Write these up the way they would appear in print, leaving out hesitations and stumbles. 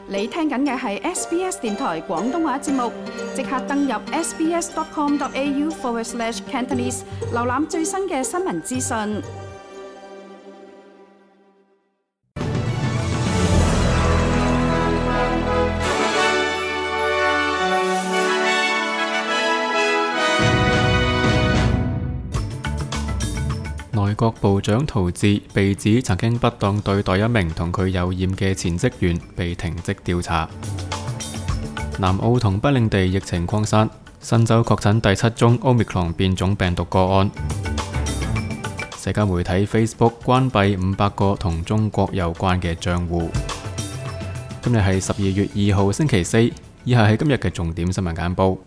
你聽緊嘅係 SBS 電台廣東話節目，即刻登入 sbs.com.au/Cantonese 瀏覽最新嘅新聞資訊。內閣部長陶治被指曾經不當對待一名同佢有染嘅前職員，被停職調查。南澳同北領地疫情擴散，新州確診第7宗 Omicron 變種病毒個案。社交媒體 Facebook 關閉500個同中國有關嘅賬戶。今日係12月2號星期四，以下係今日嘅重點新聞簡報。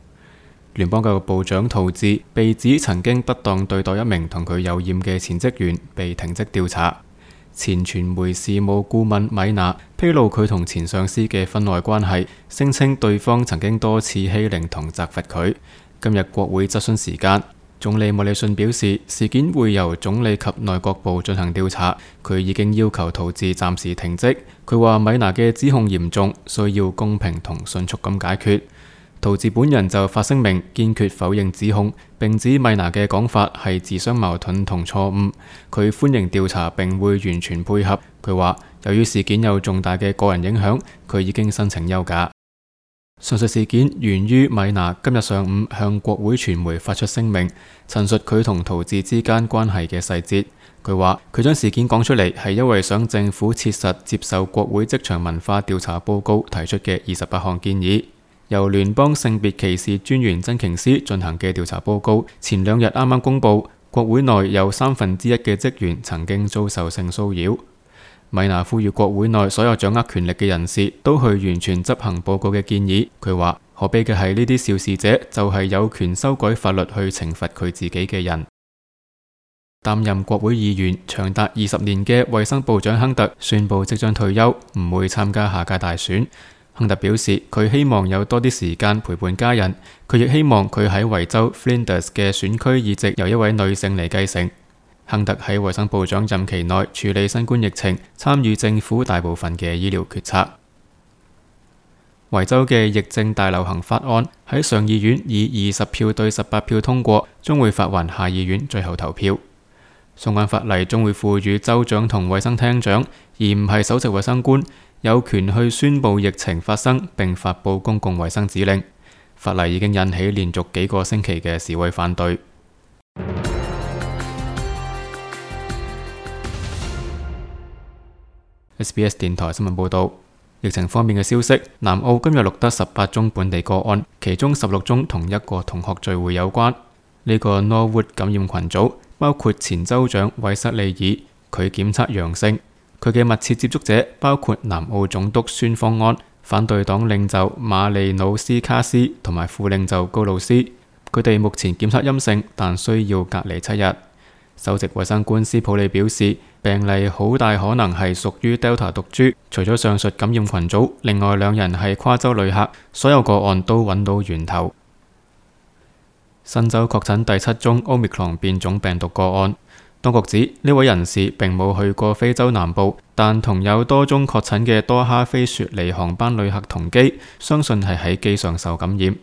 聯邦教育部長陶治被指曾經不當對待一名同佢有染嘅前職員，被停職調查。前傳媒事務顧問米娜披露佢同前上司嘅婚外關係，聲稱對方曾經多次欺凌同責罰佢。今日國會質詢時間，總理莫里遜表示事件會由總理及內閣部進行調查，佢已經要求陶治暫時停職。佢話米娜嘅指控嚴重，需要公平同迅速咁解決。陶治本人就發聲明堅決否認指控，並指米娜嘅講法係自相矛盾同錯誤。佢歡迎調查並會完全配合。佢話由於事件有重大嘅個人影響，佢已經申請休假。上述事件源於米娜今日上午向國會傳媒發出聲明，陳述佢同陶治之間關係嘅細節。佢話佢將事件講出嚟係因為想政府切實接受國會職場文化調查報告提出嘅28項建議。由聯邦性別歧視專員珍瓊斯進行嘅調查報告，前2日啱啱公布，國會內有1/3嘅職員曾經遭受性騷擾。米娜呼籲國會內所有掌握權力嘅人士都去完全執行報告嘅建議。佢話可悲嘅係呢啲肇事者就係有權修改法律去懲罰佢自己嘅人。擔任國會議員長達20年嘅衛生部長亨特宣布即將退休，唔會參加下屆大選。亨特表示佢希望有多啲時間陪伴家人，佢亦希望佢喺維州 Flinders 嘅選區議席由一位女性嚟繼承。亨特喺衛生部長任期內處理新冠疫情，參與政府大部分嘅醫療決策。維州嘅疫症大流行法案喺上議院以20票對18票通過，將會發還下議院最後投票。相關法例將會賦予州長同衛生廳長，而唔係首席衛生官，有權去宣布疫情發生並發佈公共衛生指令。法例已經引起連續幾個星期嘅示威反對。SBS 電台新聞報道，疫情方面嘅消息，南澳今日錄得18宗本地個案，其中16宗同一個同學聚會有關。呢個 Norwood 感染群組包括前州長韋瑟利爾，佢檢測陽性。佢嘅密切接觸者包括南澳總督孫方安、反對黨領袖馬利努斯卡斯同埋副領袖高魯斯。佢哋目前檢測陰性，但需要隔離7日。首席衛生官斯普利表示，病例好大可能係屬於 Delta 毒株。除咗上述感染群組，另外2人係跨州旅客，所有個案都揾到源頭。新州確診第7宗 Omicron 變種病毒個案。當局指呢位人士並冇去過非洲南部，但同有多宗確診嘅多哈飛雪梨航班旅客同機，相信係喺機上受感染。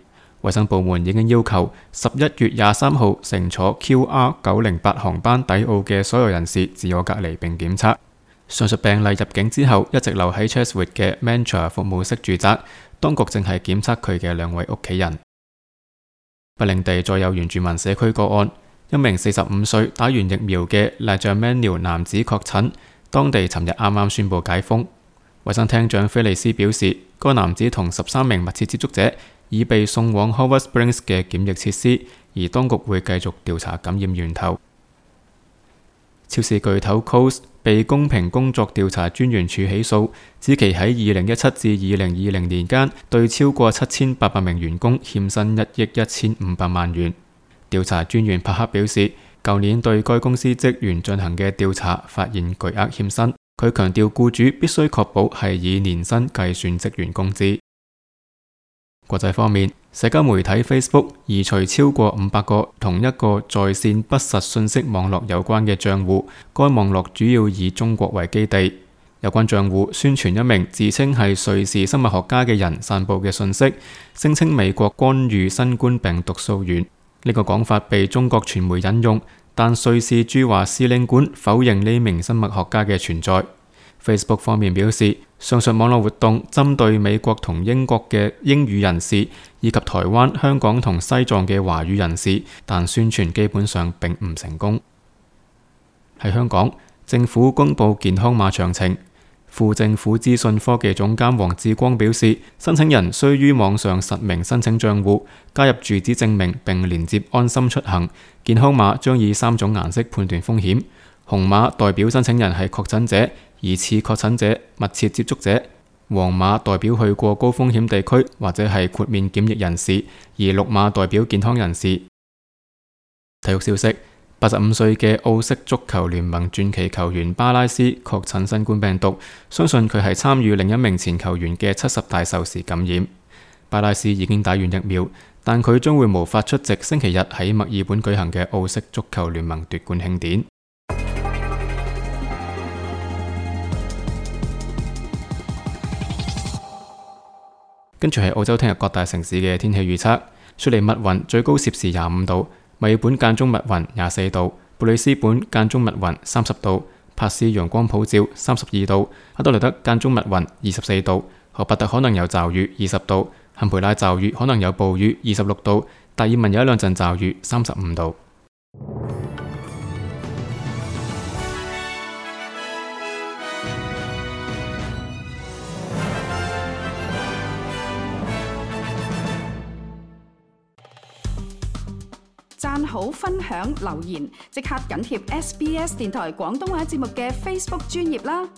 衛生部門已經要求11月23號乘坐 QR908 航班抵澳嘅所有人士自我隔離並檢測。上述病例入境之後一直留喺 Chatswood 嘅 Mantra 服務式住宅，當局正係檢測佢嘅2位屋企人。北領地再有原住民社區個案。一名45歲打完疫苗嘅 Lajamanil 男子確診，當地尋日啱啱宣布解封。衛生廳長菲利斯表示，該男子同13名密切接觸者已被送往 Howard Springs 嘅檢疫設施，而當局會繼續調查感染源頭。超市巨頭 Coles 被公平工作調查專員處起訴，指其喺2017至2020年間對超過7800名員工欠薪1億1500萬元。調查專員帕克表示，舊年對該公司職員進行嘅調查發現巨額欠薪。佢強調僱主必須確保係以年薪計算職員工資。國際方面，社交媒體 Facebook 移除超過500個同一個在線不實信息網絡有關嘅賬戶，該網絡主要以中國為基地。有關賬戶宣傳一名自稱係瑞士生物學家嘅人散布嘅信息，聲稱美國干預新冠病毒溯源。呢個講法被中國傳媒引用，但瑞士駐華使領館否認呢名生物學家嘅存在。Facebook 方面表示，上述網絡活動針對美國同英國嘅英語人士，以及台灣、香港同西藏嘅華語人士，但宣傳基本上並唔成功。喺香港，政府公布健康碼詳情。副政府資訊科技總監黃志光表示，申請人須於網上實名申請賬戶，加入住址證明並連接安心出行。健康碼將以3種顏色判斷風險，紅碼代表申請人係確診者、疑似確診者、密切接觸者；黃碼代表去過高風險地區或者係豁免檢疫人士，而綠碼代表健康人士。體育消息：85歲嘅奧式足球聯盟傳奇球員巴拉斯確診新冠病毒，相信佢係參與另一名前球員嘅70大壽時感染。巴拉斯已經打完疫苗，但佢將會無法出席星期日喺墨爾本舉行嘅奧式足球聯盟奪冠慶典。跟住係澳洲聽日各大城市嘅天氣預測：雪梨密雲最高攝氏25度，墨爾本間中密雲24度，布里斯本間中密雲30度，珀斯陽光普照32度，阿德萊德間中密雲24度，荷伯特可能有驟雨20度，坎培拉驟雨可能有暴雨26度，達爾文有一兩陣驟雨35度。讚好、分享、留言，即刻緊貼SBS 電台廣東話節目嘅 Facebook 專頁啦！